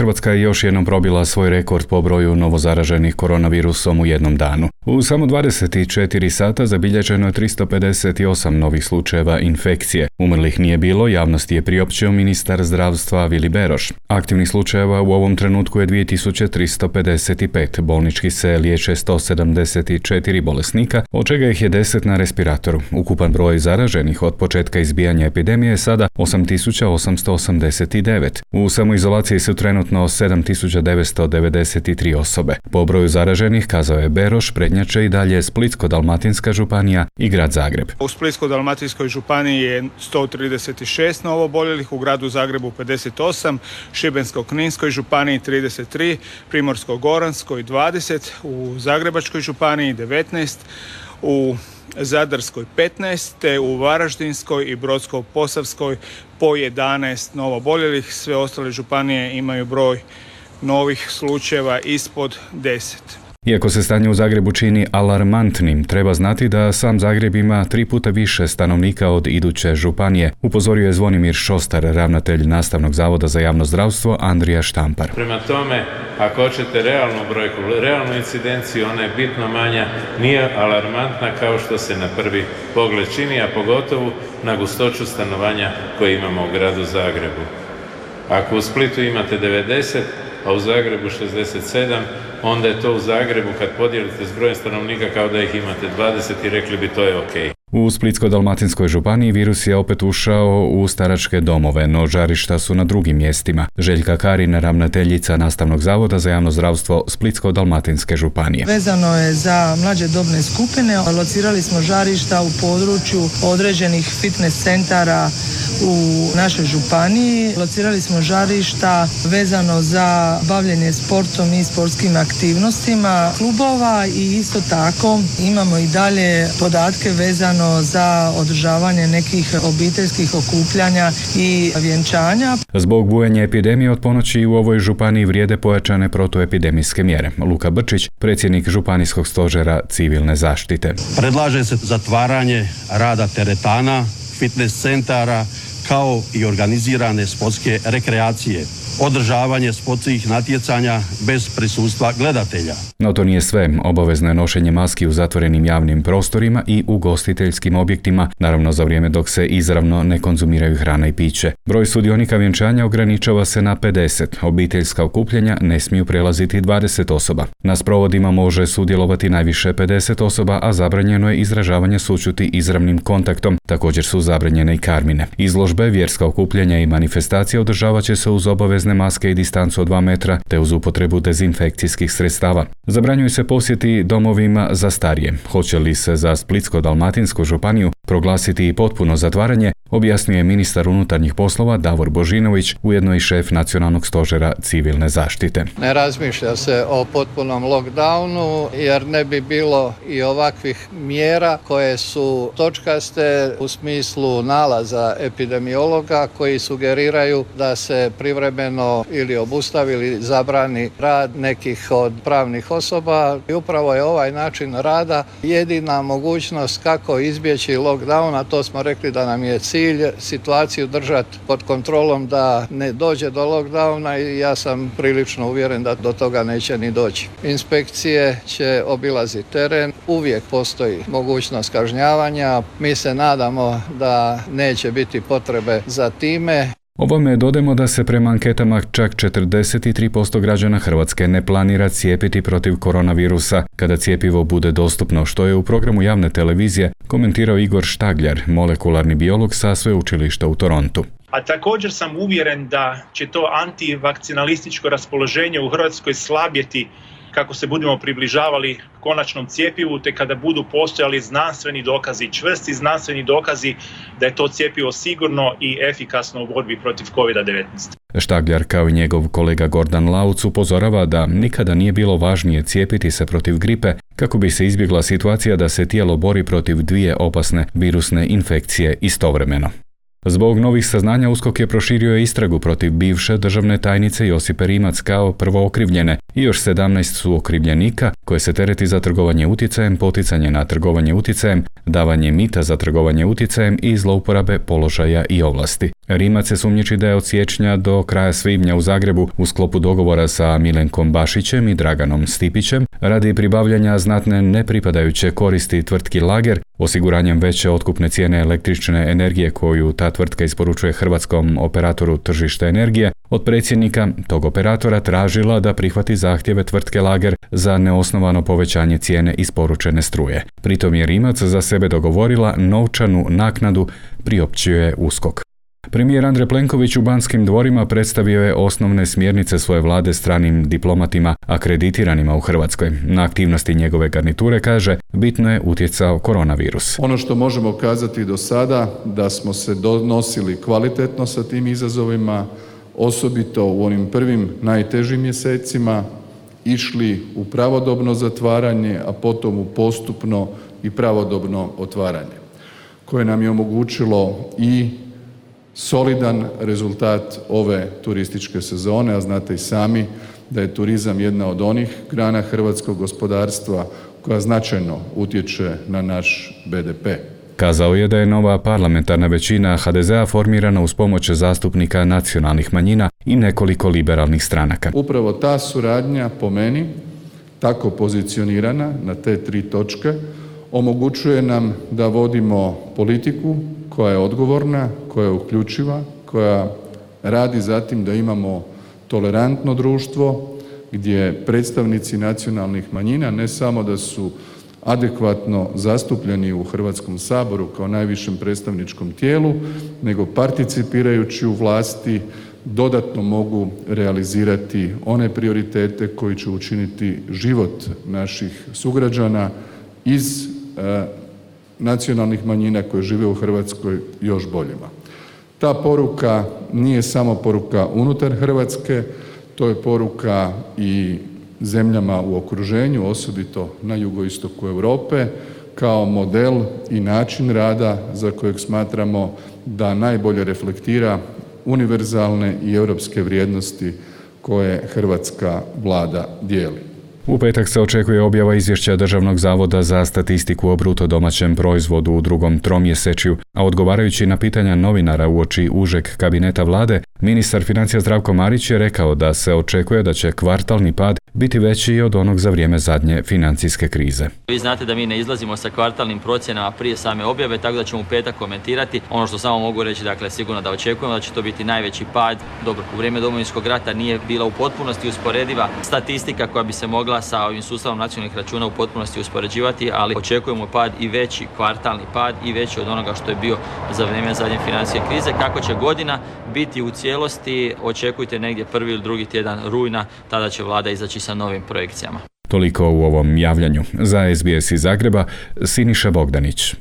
Hrvatska je još jednom probila svoj rekord po broju novozaraženih koronavirusom u jednom danu. U samo 24 sata zabilježeno je 358 novih slučajeva infekcije. Umrlih nije bilo, javnosti je priopćio ministar zdravstva Vili Beroš. Aktivnih slučajeva u ovom trenutku je 2355, bolnički se liječe 174 bolesnika, od čega ih je 10 na respiratoru. Ukupan broj zaraženih od početka izbijanja epidemije je sada 8889. U samoizolaciji su trenutno 7993 osobe. Po broju zaraženih, kazao je Beroš, prednjače i dalje Splitsko-dalmatinska županija i grad Zagreb. U Splitsko-dalmatinskoj županiji je 136 novooboljelih, u gradu Zagrebu 58, Šibensko-kninskoj županiji 33, Primorsko-goranskoj 20, u Zagrebačkoj županiji 19, u Zadarskoj 15, te u Varaždinskoj i Brodsko-posavskoj po 11 novooboljelih. Sve ostale županije imaju broj novih slučajeva ispod 10. Iako se stanje u Zagrebu čini alarmantnim, treba znati da sam Zagreb ima 3 puta više stanovnika od iduće županije, upozorio je Zvonimir Šostar, ravnatelj Nastavnog zavoda za javno zdravstvo Andrija Štampar. Prema tome, ako hoćete realnu brojku, realnu incidenciju, ona je bitno manja, nije alarmantna kao što se na prvi pogled čini, a pogotovo na gustoću stanovanja koje imamo u gradu Zagrebu. Ako u Splitu imate 90, a u Zagrebu 67, onda je to u Zagrebu kad podijelite s brojem stanovnika kao da ih imate 20 i rekli bi to je ok. U Splitsko-dalmatinskoj županiji virus je opet ušao u staračke domove, no žarišta su na drugim mjestima. Željka Karin, ravnateljica Nastavnog zavoda za javno zdravstvo Splitsko-dalmatinske županije. Vezano je za mlađe dobne skupine, locirali smo žarišta u području određenih fitness centara u našoj županiji. Locirali smo žarišta vezano za bavljenje sportom i sportskim aktivnostima klubova i isto tako imamo i dalje podatke vezano za održavanje nekih obiteljskih okupljanja i vjenčanja. Zbog bujanja epidemije od ponoći u ovoj županiji vrijede pojačane protuepidemijske mjere. Luka Brčić, predsjednik Županijskog stožera civilne zaštite. Predlaže se zatvaranje rada teretana, fitness centara, kao i organizirane sportske rekreacije, održavanje sportskih natjecanja bez prisustva gledatelja. No to nije sve. Obavezno je nošenje maski u zatvorenim javnim prostorima i ugostiteljskim objektima, naravno za vrijeme dok se izravno ne konzumiraju hrana i piće. Broj sudionika vjenčanja ograničava se na 50. Obiteljska okupljanja ne smiju prelaziti 20 osoba. Na sprovodima može sudjelovati najviše 50 osoba, a zabranjeno je izražavanje sućuti izravnim kontaktom. Također su zabranjene i karmine. Izložbe, vjerska okupljanja i manifestacije održavat će se uz obavezne maske i distancu od 2 metra, te uz upotrebu dezinfekcijskih sredstava. Zabranjuju se posjeti domovima za starije. Hoće li se za Splitsko-dalmatinsku županiju proglasiti i potpuno zatvaranje, objasnio je ministar unutarnjih poslova Davor Božinović, ujedno i šef Nacionalnog stožera civilne zaštite. Ne razmišlja se o potpunom lockdownu jer ne bi bilo i ovakvih mjera koje su točkaste u smislu nalaza epidemiologa koji sugeriraju da se privremeno ili obustavi ili zabrani rad nekih od pravnih osoba. I upravo je ovaj način rada jedina mogućnost kako izbjeći lockdown, a to smo rekli da nam je cilj situaciju držati pod kontrolom da ne dođe do lockdowna i ja sam prilično uvjeren da do toga neće ni doći. Inspekcije će obilaziti teren, uvijek postoji mogućnost kažnjavanja. Mi se nadamo da neće biti potrebe za time. Ovome dodajemo da se prema anketama čak 43% građana Hrvatske ne planira cijepiti protiv koronavirusa kada cjepivo bude dostupno, što je u programu javne televizije komentirao Igor Štagljar, molekularni biolog sa sveučilišta u Torontu. A također sam uvjeren da će to antivakcinalističko raspoloženje u Hrvatskoj slabjeti kako se budemo približavali konačnom cjepivu, te kada budu postojali znanstveni dokazi, čvrsti znanstveni dokazi da je to cjepivo sigurno i efikasno u borbi protiv COVID-19. Štagljar kao i njegov kolega Gordan Lauc upozorava da nikada nije bilo važnije cijepiti se protiv gripe kako bi se izbjegla situacija da se tijelo bori protiv 2 opasne virusne infekcije istovremeno. Zbog novih saznanja USKOK je proširio istragu protiv bivše državne tajnice Josipe Rimac kao prvookrivljene i još 17 su okrivljenika koje se tereti za trgovanje utjecajem, poticanje na trgovanje utjecajem, davanje mita za trgovanje utjecajem i zlouporabe položaja i ovlasti. Rimac se sumnjiči da je od siječnja do kraja svibnja u Zagrebu u sklopu dogovora sa Milenkom Bašićem i Draganom Stipićem radi pribavljanja znatne nepripadajuće koristi tvrtki Lager, osiguranjem veće otkupne cijene električne energije koju ta tvrtka isporučuje hrvatskom operatoru tržišta energije, od predsjednika tog operatora tražila da prihvati zahtjeve tvrtke Lager za neosnovano povećanje cijene isporučene struje. Pritom je Rimac za sebe dogovorila novčanu naknadu, priopćuje USKOK. Premijer Andrej Plenković u Banskim dvorima predstavio je osnovne smjernice svoje vlade stranim diplomatima akreditiranima u Hrvatskoj. Na aktivnosti njegove garniture, kaže, bitno je utjecao koronavirus. Ono što možemo kazati do sada, da smo se nosili kvalitetno sa tim izazovima, osobito u onim prvim najtežim mjesecima, išli u pravodobno zatvaranje, a potom u postupno i pravodobno otvaranje, koje nam je omogućilo i solidan rezultat ove turističke sezone, a znate i sami da je turizam jedna od onih grana hrvatskog gospodarstva koja značajno utječe na naš BDP. Kazao je da je nova parlamentarna većina HDZ-a formirana uz pomoć zastupnika nacionalnih manjina i nekoliko liberalnih stranaka. Upravo ta suradnja, po meni, tako pozicionirana na te 3 točke, omogućuje nam da vodimo politiku koja je odgovorna, koja je uključiva, koja radi za tim da imamo tolerantno društvo gdje predstavnici nacionalnih manjina ne samo da su adekvatno zastupljeni u Hrvatskom saboru kao najvišem predstavničkom tijelu, nego participirajući u vlasti dodatno mogu realizirati one prioritete koji će učiniti život naših sugrađana iz nacionalnih manjina koje žive u Hrvatskoj još boljima. Ta poruka nije samo poruka unutar Hrvatske, to je poruka i zemljama u okruženju, osobito na jugoistoku Europe, kao model i način rada za kojeg smatramo da najbolje reflektira univerzalne i europske vrijednosti koje hrvatska vlada dijeli. U petak se očekuje objava izvješća Državnog zavoda za statistiku o bruto domaćem proizvodu u drugom tromjesečju, a odgovarajući na pitanja novinara uoči užeg kabineta vlade, ministar financija Zdravko Marić je rekao da se očekuje da će kvartalni pad biti veći od onog za vrijeme zadnje financijske krize. Vi znate da mi ne izlazimo sa kvartalnim procjenama prije same objave, tako da ćemo u petak komentirati. Ono što samo mogu reći, dakle, sigurno da očekujemo da će to biti najveći pad. Dobro, u vrijeme Domovinskog rata nije bila u potpunosti usporediva statistika koja bi se mogla sa ovim sustavom nacionalnih računa u potpunosti uspoređivati, ali očekujemo pad i veći, kvartalni pad i veći od onoga što je bio za vrijeme zadnje financijske krize. Kako će godina biti u cijelosti, očekujte negdje prvi ili drugi tjedan rujna, tada će vlada izaći sa novim projekcijama. Toliko u ovom javljanju. Za SBS iz Zagreba, Siniša Bogdanić.